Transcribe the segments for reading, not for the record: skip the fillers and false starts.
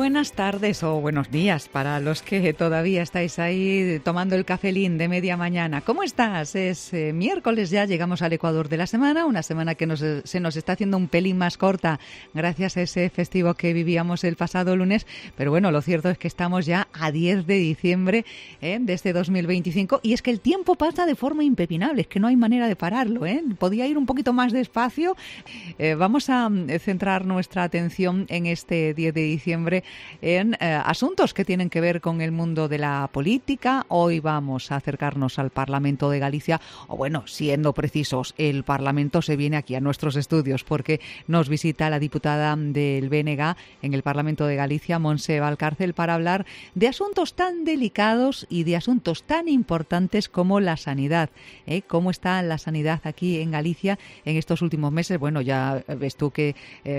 buenas tardes o buenos días para los que todavía estáis ahí tomando el cafelín de media mañana. ¿Cómo estás? Es miércoles ya, llegamos al Ecuador de la semana, una semana que se nos está haciendo un pelín más corta gracias a ese festivo que vivíamos el pasado lunes, pero bueno, lo cierto es que estamos ya a 10 de diciembre de este 2025 y es que el tiempo pasa de forma impepinable, es que no hay manera de pararlo, podía ir un poquito más despacio. Vamos a centrar nuestra atención en este 10 de diciembre en asuntos que tienen que ver con el mundo de la política. Hoy vamos a acercarnos al Parlamento de Galicia, o bueno, siendo precisos, el Parlamento se viene aquí a nuestros estudios porque nos visita la diputada del BNG en el Parlamento de Galicia, Montse Valcárcel, para hablar de asuntos tan delicados y de asuntos tan importantes como la sanidad. ¿Cómo está la sanidad aquí en Galicia en estos últimos meses? Bueno, ya ves tú que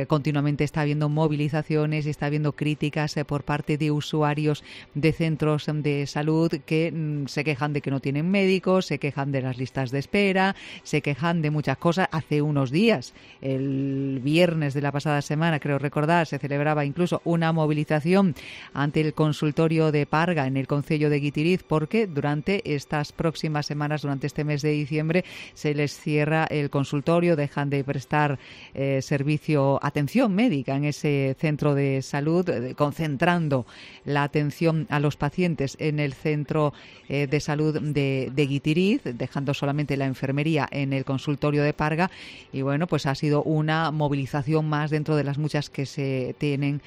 continuamente está habiendo movilizaciones y está habiendo críticas por parte de usuarios de centros de salud que se quejan de que no tienen médicos, se quejan de las listas de espera, se quejan de muchas cosas. Hace unos días, el viernes de la pasada semana, creo recordar, se celebraba incluso una movilización ante el consultorio de Parga en el concello de Guitiriz porque durante estas próximas semanas, durante este mes de diciembre, se les cierra el consultorio, dejan de prestar atención médica en ese centro de salud, concentrando la atención a los pacientes en el centro de salud de Guitiriz, dejando solamente la enfermería en el consultorio de Parga. Y bueno, pues ha sido una movilización más dentro de las muchas que se tienen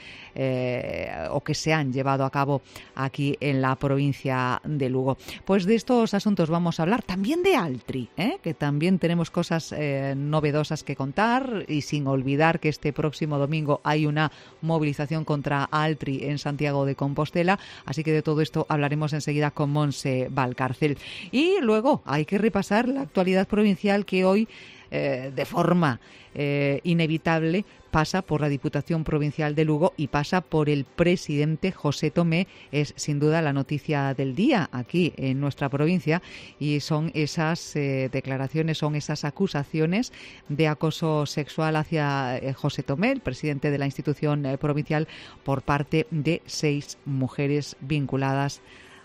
o que se han llevado a cabo aquí en la provincia de Lugo. Pues de estos asuntos vamos a hablar, también de Altri, que también tenemos cosas novedosas que contar, y sin olvidar que este próximo domingo hay una movilización contra Altri en Santiago de Compostela, así que de todo esto hablaremos enseguida con Montse Valcárcel. Y luego hay que repasar la actualidad provincial que hoy de forma inevitable pasa por la Diputación Provincial de Lugo y pasa por el presidente José Tomé. Es sin duda la noticia del día aquí en nuestra provincia y son esas declaraciones, son esas acusaciones de acoso sexual hacia José Tomé, el presidente de la institución provincial, por parte de 6 mujeres vinculadas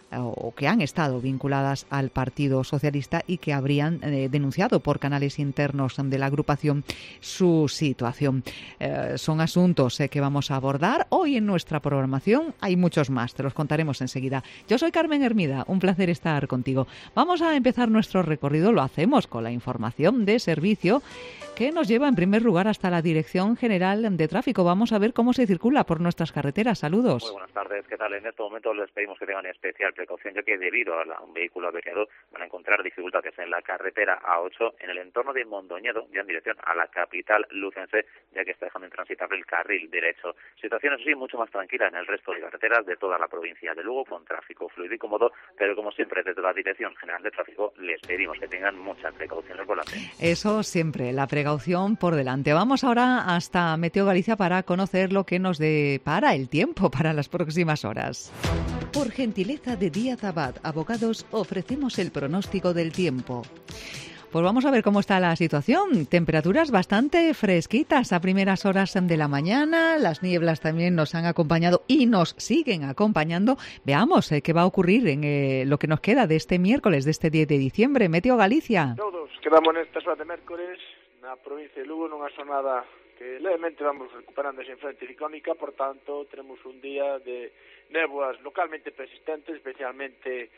o que han estado vinculadas al Partido Socialista y que habrían denunciado por canales internos de la agrupación su situación. Son asuntos que vamos a abordar hoy en nuestra programación. Hay muchos más, te los contaremos enseguida. Yo soy Carmen Hermida, un placer estar contigo. Vamos a empezar nuestro recorrido, lo hacemos con la información de servicio que nos lleva en primer lugar hasta la Dirección General de Tráfico. Vamos a ver cómo se circula por nuestras carreteras. Saludos. Muy buenas tardes, ¿qué tal? En este momento les pedimos que tengan especial precaución, ya que debido a un vehículo averiado van a encontrar dificultades en la carretera A8 en el entorno de Mondoñedo, ya en dirección a la capital lucense, ya que está dejando intransitable el carril derecho. Situación, eso sí, mucho más tranquila en el resto de carreteras de toda la provincia de Lugo, con tráfico fluido y cómodo, pero como siempre desde la Dirección General de Tráfico les pedimos que tengan mucha precaución al volante. Eso siempre, la precaución por delante. Vamos ahora hasta Meteo Galicia para conocer lo que nos depara el tiempo para las próximas horas. Por gentileza de Díaz Abad Abogados, ofrecemos el pronóstico del tiempo. Pues vamos a ver cómo está la situación. Temperaturas bastante fresquitas a primeras horas de la mañana. Las nieblas también nos han acompañado y nos siguen acompañando. Veamos qué va a ocurrir en lo que nos queda de este miércoles, de este 10 de diciembre. Meteo Galicia. Todos quedamos nestas horas de mércores na provincia de Lugo nunha xornada que levemente vamos recuperando esa influencia ciclónica, por tanto, tenemos un día de néboas localmente persistentes, especialmente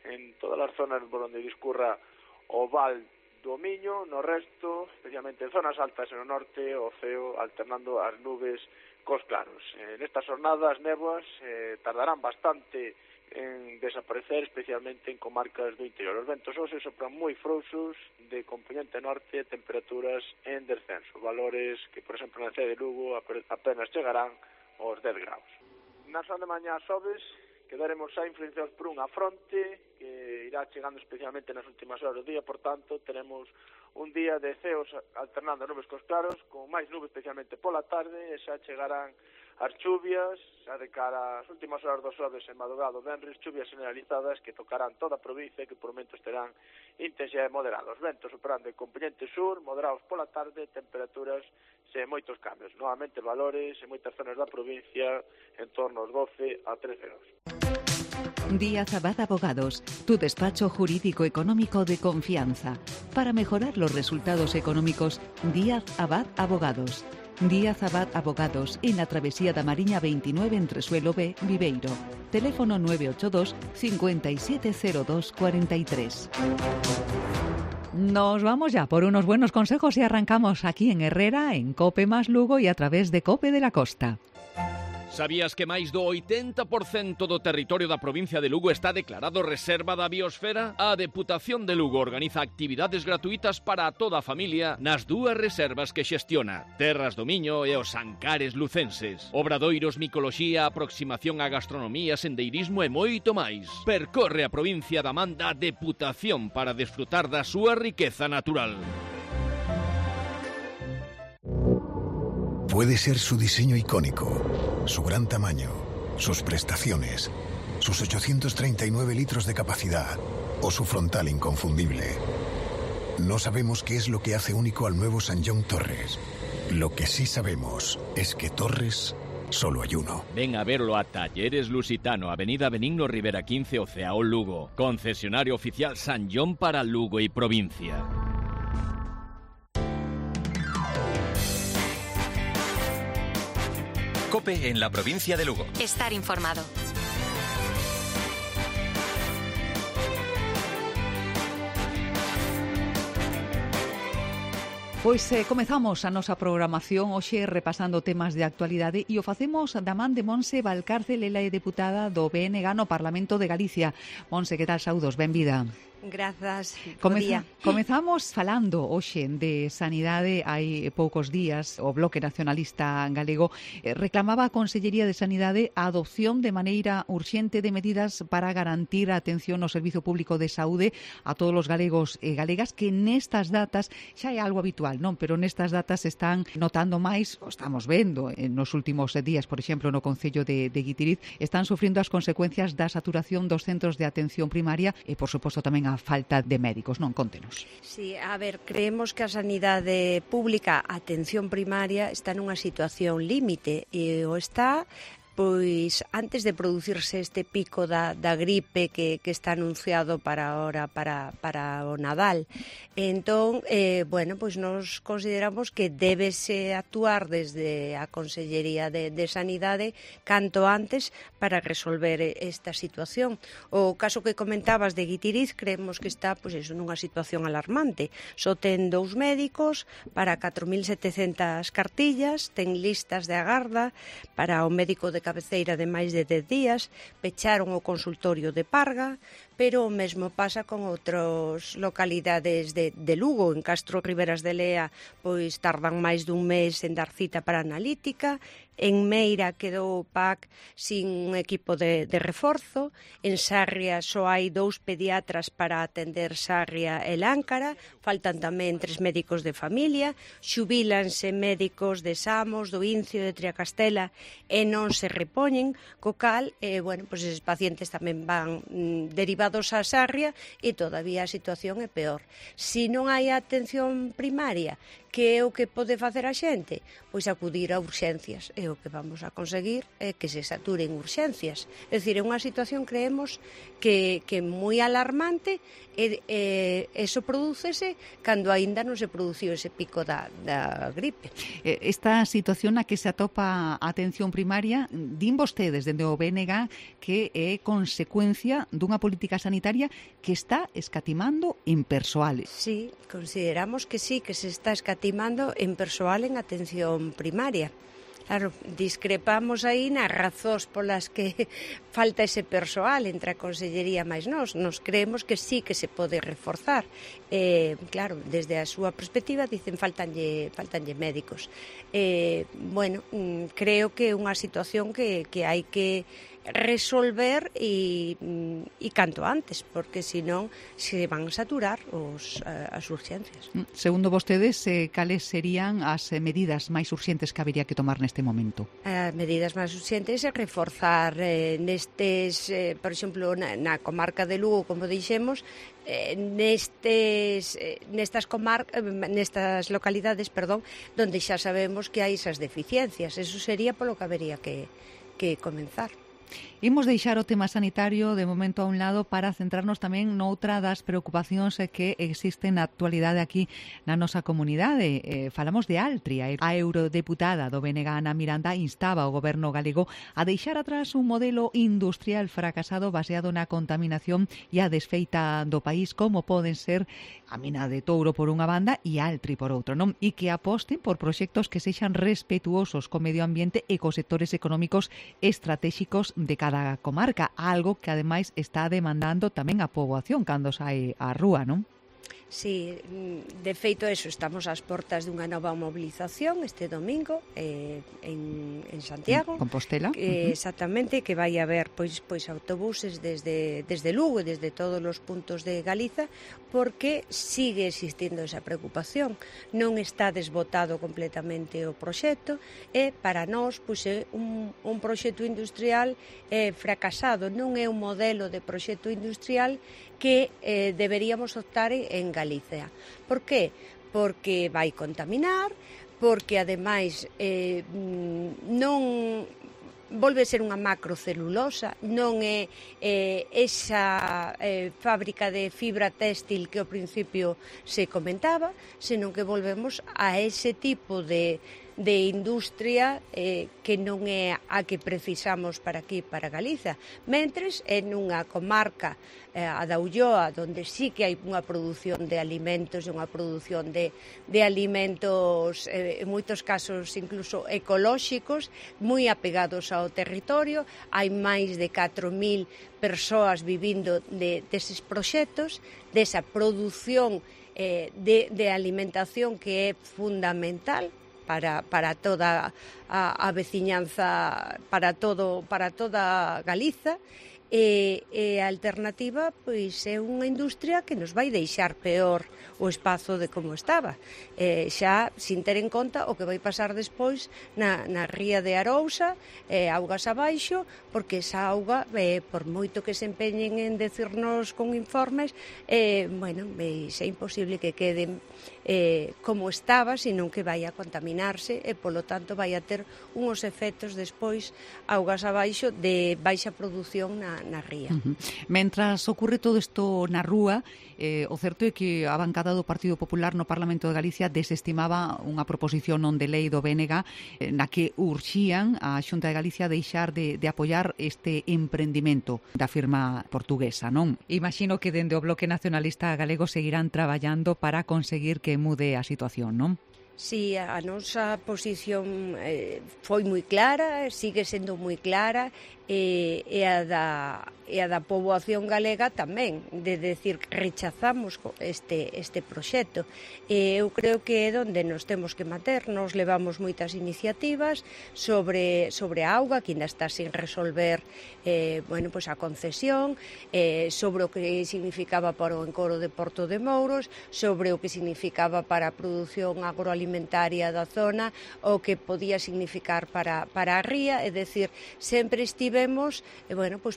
en todas as zonas por onde discurra o val do Miño, no resto, especialmente en zonas altas no norte, o ceo alternando as nubes cos claros. Nestas xornadas, as néboas tardarán bastante en desaparecer, especialmente en comarcas do interior. Os ventos hoxe sopran moi frouxos de componente norte, temperaturas en descenso, valores que, por exemplo, na cidade de Lugo apenas chegarán aos 10 graus. Na zona de mañá sobes quedaremos xa influenciados por unha fronte que irá chegando especialmente nas últimas horas do día, por tanto, tenemos un día de ceos alternando nubes cos claros, con máis nubes especialmente pola tarde, e xa chegarán as chuvias, xa de cara ás últimas horas do xoves e madrugado venres, chuvias generalizadas que tocarán toda a provincia, que por momentos terán intensidade moderada. Os ventos operando en componente sur, moderados pola tarde, temperaturas sen moitos cambios. Novamente valores en moitas zonas da provincia en torno aos 12 a 13 grados. Díaz Abad Abogados, tu despacho jurídico económico de confianza. Para mejorar los resultados económicos, Díaz Abad Abogados. Díaz Abad Abogados, en la Travesía da Mariña 29 entre Suelo B, Viveiro. Teléfono 982 5702 43. Nos vamos ya por unos buenos consejos y arrancamos aquí en Herrera, en COPE más Lugo y a través de COPE de la Costa. Sabías que máis do 80% do territorio da provincia de Lugo está declarado reserva da biosfera? A Deputación de Lugo organiza actividades gratuitas para toda a familia nas dúas reservas que xestiona, Terras do Miño e os Ancares lucenses. Obradoiros, micoloxía, aproximación á gastronomía, sendeirismo e moito máis. Percorre a provincia da man da Deputación para desfrutar da súa riqueza natural. Puede ser su diseño icónico, su gran tamaño, sus prestaciones, sus 839 litros de capacidad o su frontal inconfundible. No sabemos qué es lo que hace único al nuevo Sanyong Torres. Lo que sí sabemos es que Torres solo hay uno. Ven a verlo a Talleres Lusitano, Avenida Benigno Rivera 15, Oceao, Lugo. Concesionario oficial Sanyong para Lugo y provincia. COPE en la provincia de Lugo. Estar informado. Pois comezamos a nosa programación hoxe repasando temas de actualidade e o facemos da man de Monse Valcárcel, ela é deputada do BNG no Parlamento de Galicia. Monse, que tal? Saúdos, benvida. Grazas, Comezamos falando hoxe de sanidade. Hai poucos días o Bloque Nacionalista Galego reclamaba a Consellería de Sanidade a adopción de maneira urxente de medidas para garantir a atención no Servizo Público de Saúde a todos os galegos e galegas, que nestas datas xa é algo habitual, non? Pero nestas datas están notando máis, o estamos vendo nos últimos días, por exemplo, no Concello de Guitiriz, están sufrindo as consecuencias da saturación dos centros de atención primaria e, por suposto, tamén a falta de médicos, non? Contenos. Sí, a ver, creemos que a sanidade pública, a atención primaria, está nunha situación límite e o está pois antes de producirse este pico da gripe que está anunciado para ahora, para o Nadal. Entón, bueno, pois nos consideramos que débese actuar desde a Consellería de Sanidade canto antes para resolver esta situación. O caso que comentabas de Guitiriz, creemos que está pois eso, nunha situación alarmante. Só ten 2 médicos para 4.700 cartillas, ten listas de agarda para o médico de cabeceira de máis de 10 días, pecharon o consultorio de Parga, pero o mesmo pasa con outras localidades de Lugo. En Castro Riberas de Lea pois tardan máis dun mes en dar cita para analítica. En Meira quedou o PAC sin un equipo de reforzo. En Sarria só hai 2 pediatras para atender Sarria e Láncara. Faltan tamén 3 médicos de familia. Xubílanse médicos de Samos, do Incio, de Triacastela e non se repoñen. Co cal, bueno, pois eses pacientes tamén van derivados a Sarria e todavía a situación é peor. Se non hai atención primaria, que é o que pode facer a xente? Pois acudir a urxencias. E o que vamos a conseguir é que se saturen urxencias. É dicir, é unha situación, creemos, que é moi alarmante e eso prodúcese cando aínda non se produciu ese pico da gripe. Esta situación na que se atopa a atención primaria, din vostedes dende o BNG que é consecuencia dunha política sanitaria que está escatimando en persoal. Sí, consideramos que sí, que se está escatimando en persoal en atención primaria. Claro, discrepamos aí nas razóns polas que falta ese persoal entre a Consellería máis nós. Nos creemos que sí que se pode reforzar. Claro, desde a súa perspectiva dicen faltanlle médicos. Bueno, creo que é unha situación que hai que resolver e canto antes, porque senón se van a saturar as urxencias. Segundo vostedes, cales serían as medidas máis urxentes que habería que tomar neste momento? As medidas máis urxentes é reforzar nestes, por exemplo, na comarca de Lugo, como dixemos, nestas localidades, donde xa sabemos que hai esas deficiencias. Eso sería polo que habería que comenzar. Imos deixar o tema sanitario de momento a un lado para centrarnos tamén noutra das preocupacións que existen na actualidade aquí na nosa comunidade. Falamos de Altri. A eurodeputada do BNG, Ana Miranda, instaba ao goberno galego a deixar atrás un modelo industrial fracasado baseado na contaminación e a desfeita do país, como poden ser a mina de Touro por unha banda e Altri por outra, non? E que aposten por proxectos que sexan respetuosos co medio ambiente e cos sectores económicos estratéxicos de cada comarca, algo que ademais está demandando tamén a poboación cando sai á rúa, non? Sí, de feito eso, estamos ás portas dunha nova mobilización este domingo en Santiago, Compostela, exactamente, que vai haber pois autobuses desde Lugo e desde todos os puntos de Galiza, porque sigue existindo esa preocupación. Non está desbotado completamente o proxecto e para nós pois é un proxecto industrial fracasado, non é un modelo de proxecto industrial que deberíamos optar en Galicia. Por que? Porque vai contaminar, porque ademais non volve a ser unha macrocelulosa, non é esa fábrica de fibra téxtil que ao principio se comentaba, senón que volvemos a ese tipo de industria que non é a que precisamos para aquí, para Galiza. Mentres, en unha comarca, a da Ulloa, onde sí que hai unha produción de alimentos, unha produción de alimentos, en moitos casos incluso ecolóxicos, moi apegados ao territorio, hai máis de 4.000 persoas vivindo deses proxectos, desa produción de alimentación que é fundamental para toda a veciñanza, para toda Galiza, e a alternativa pois é unha industria que nos vai deixar peor o espazo de como estaba, xa sin ter en conta o que vai pasar despois na ría de Arousa, augas abaixo, porque esa auga, por moito que se empeñen en decirnos con informes, é imposible que queden como estaba, senón que vai a contaminarse e, polo tanto, vai a ter uns efectos despois augas abaixo de baixa produción na ría. Mentras ocurre todo isto na rúa, o certo é que a bancada do Partido Popular no Parlamento de Galicia desestimaba unha proposición non de lei do BNG na que urxían a Xunta de Galicia deixar de apoiar este emprendimento da firma portuguesa, non? Imagino que dende o Bloque Nacionalista Galego seguirán traballando para conseguir que mude a situación, non? Si, a nosa posición foi moi clara, sigue sendo moi clara, e a da poboación galega tamén, de decir que rechazamos este proxecto. Eu creo que é onde nos temos que manter. Nos levamos moitas iniciativas sobre a auga, que ainda está sin resolver a concesión, sobre o que significaba para o encoro de Porto de Mouros, sobre o que significaba para a produción agroalimentaria da zona, o que podía significar para a ría, é dicir, sempre estivemos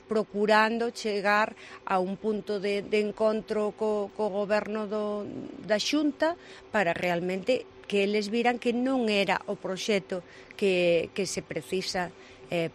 procurando chegar a un punto de encontro co goberno da Xunta para realmente que eles viran que non era o proxecto que se precisa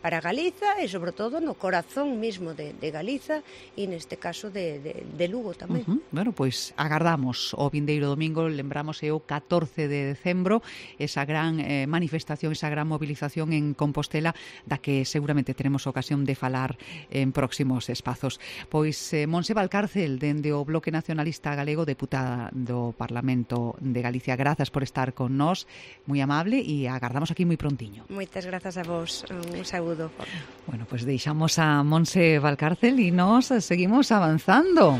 para Galiza e, sobre todo, no corazón mismo de Galiza e, neste caso, de Lugo tamén. Bueno, pois agardamos o vindeiro domingo, lembramos o 14 de decembro, esa gran manifestación, esa gran movilización en Compostela, da que seguramente teremos ocasión de falar en próximos espazos. Pois Montse Valcárcel, dende o Bloque Nacionalista Galego, deputada do Parlamento de Galicia, grazas por estar con nós, moi amable, e agardamos aquí moi prontiño. Moitas grazas a vos. Un saúdo. Bueno, pues deixamos a Montse Valcárcel e nos seguimos avanzando.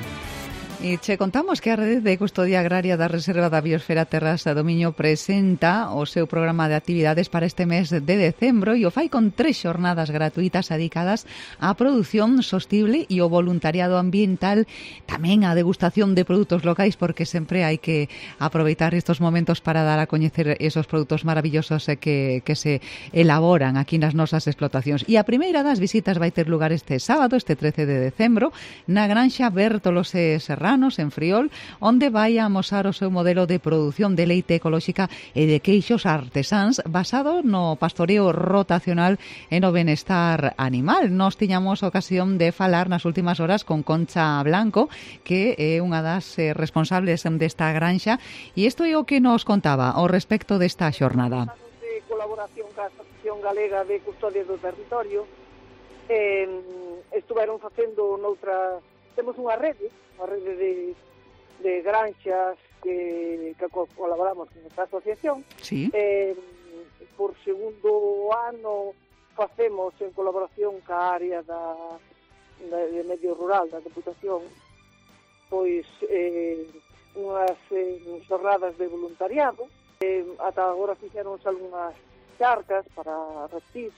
E che contamos que a Rede de Custodia Agraria da Reserva da Biosfera Terras da Domiño presenta o seu programa de actividades para este mes de decembro e o fai con 3 xornadas gratuitas dedicadas á produción sostible e o voluntariado ambiental, tamén a degustación de produtos locais, porque sempre hai que aproveitar estos momentos para dar a coñecer esos produtos maravillosos que se elaboran aquí nas nosas explotacións. E a primeira das visitas vai ter lugar este sábado, este 13 de decembro, na Granxa Bértolos e Serrano, en Friol, onde vai a amosar o seu modelo de produción de leite ecolóxica e de queixos artesáns basado no pastoreo rotacional e no benestar animal. Nos tiñamos ocasión de falar nas últimas horas con Concha Blanco, que é unha das responsables desta granxa, e isto é o que nos contaba ao respecto desta xornada. De colaboración ca Asociación Galega de Custodia do Territorio, estuveron facendo noutra... Temos unha rede de granxas que colaboramos con esta asociación. Sí. Por segundo ano facemos en colaboración ca área de medio rural da Deputación pois unhas xornadas de voluntariado. Ata agora fixeronse algunhas charcas para reptis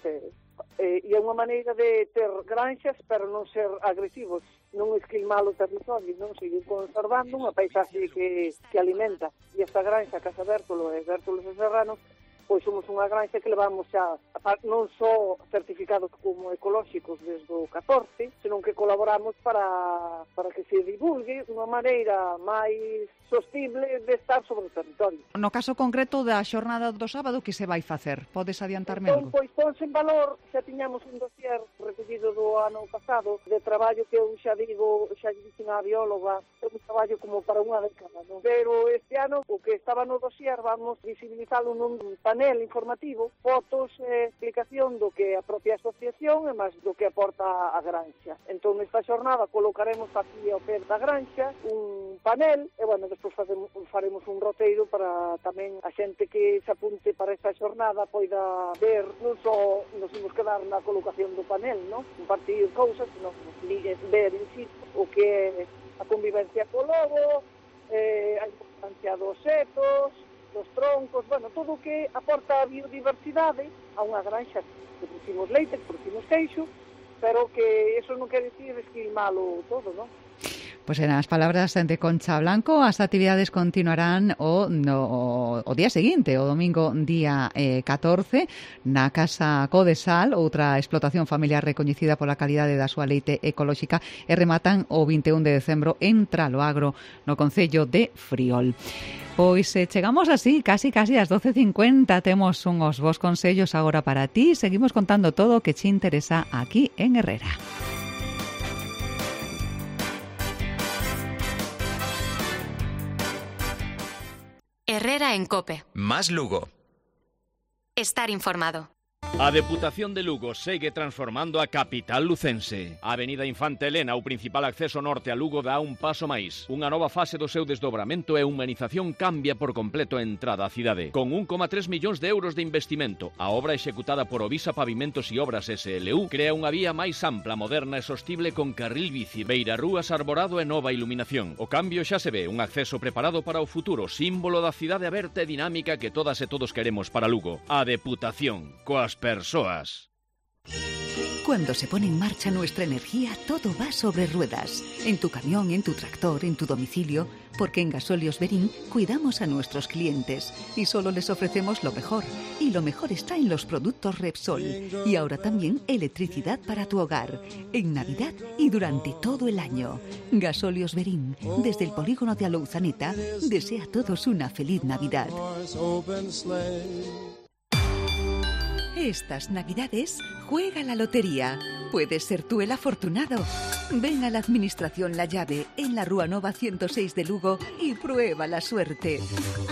e é unha maneira de ter granxas pero non ser agresivos, non esquilmar o territorio, non seguir conservando unha paisaxe que alimenta. E esta granxa, Casa Bértolo e Bértolos e Serrano, pois somos unha granxa que levamos xa non só certificados como ecolóxicos desde o 14, senón que colaboramos para que se divulgue unha maneira máis sostible de estar sobre o territorio. No caso concreto da xornada do sábado, que se vai facer? Podes adiantarme algo? Pois ponse en valor, xa tiñamos un dossier recollido do ano pasado de traballo que eu xa digo, xa dixen a bióloga, é un traballo como para unha década, non? Pero este ano o que estaba no dossier vamos visibilizalo nun panel informativo, fotos e explicación do que a propia asociación e máis do que aporta a granxa. Entón, nesta xornada colocaremos aquí ao pé da granxa un panel e, bueno, despois faremos un roteiro para tamén a xente que se apunte para esta xornada poida ver, non só nos imos quedar na colocación do panel, non? Compartir cousas, senón ver in situ o que é a convivencia co lobo, a importancia dos setos, dos troncos, bueno, todo o que aporta a biodiversidade a unha granxa que producimos leite, que producimos queixo, pero que eso non quer dicir esquilmalo todo, non? Pois en as palabras de Concha Blanco, as actividades continuarán o día seguinte, o domingo día 14, na Casa Codesal, outra explotación familiar recoñecida pola calidade da súa leite ecolóxica, e rematan o 21 de decembro en Traloagro, no concello de Friol. Pois chegamos así, casi ás 12:50, temos unhos bons consellos agora para ti, seguimos contando todo o que te interesa aquí en Herrera. Herrera en COPE. Más Lugo. Estar informado. A Deputación de Lugo segue transformando a capital lucense. A Avenida Infante Elena, o principal acceso norte a Lugo, dá un paso máis. Unha nova fase do seu desdobramento e humanización cambia por completo a entrada á cidade. Con 1,3 millóns de euros de investimento, a obra executada por Ovisa Pavimentos e Obras SLU crea unha vía máis ampla, moderna e sostible con carril bici, beirarrúas, arborado e nova iluminación. O cambio xa se ve, un acceso preparado para o futuro, símbolo da cidade aberta e dinámica que todas e todos queremos para Lugo. A Deputación, coas persoas. Cuando se pone en marcha nuestra energía, todo va sobre ruedas. En tu camión, en tu tractor, en tu domicilio, porque en Gasóleos Berín cuidamos a nuestros clientes y solo les ofrecemos lo mejor. Y lo mejor está en los productos Repsol. Y ahora también electricidad para tu hogar, en Navidad y durante todo el año. Gasóleos Berín, desde el polígono de Alouzaneta, desea a todos una feliz Navidad. Estas Navidades, juega la lotería. Puedes ser tú el afortunado. Ven a la Administración La Llave, en la Rúa Nova 106 de Lugo, y prueba la suerte.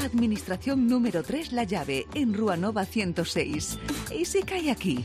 Administración número 3 La Llave, en Rúa Nova 106. ¿Y si cae aquí?